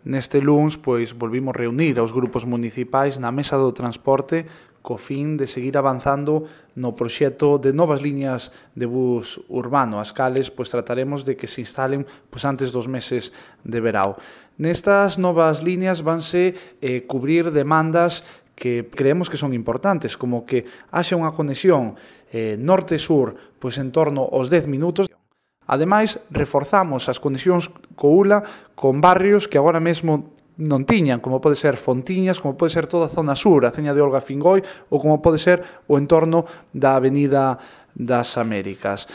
neste luns pois volvimos reunir aos grupos municipais na mesa do transporte co fin de seguir avanzando no proxecto de novas liñas de bus urbano, as cales pois trataremos de que se instalen pois antes dos meses de verao. Nestas novas liñas vanse cubrir demandas que creemos que son importantes, como que haxa unha conexión norte-sur pois en torno aos 10 minutos. Ademais, reforzamos as conexións co ULA con barrios que agora mesmo non tiñan, como pode ser Fontiñas, como pode ser toda a zona sur, a Ceña de Olga Fingoi, ou como pode ser o entorno da Avenida das Américas.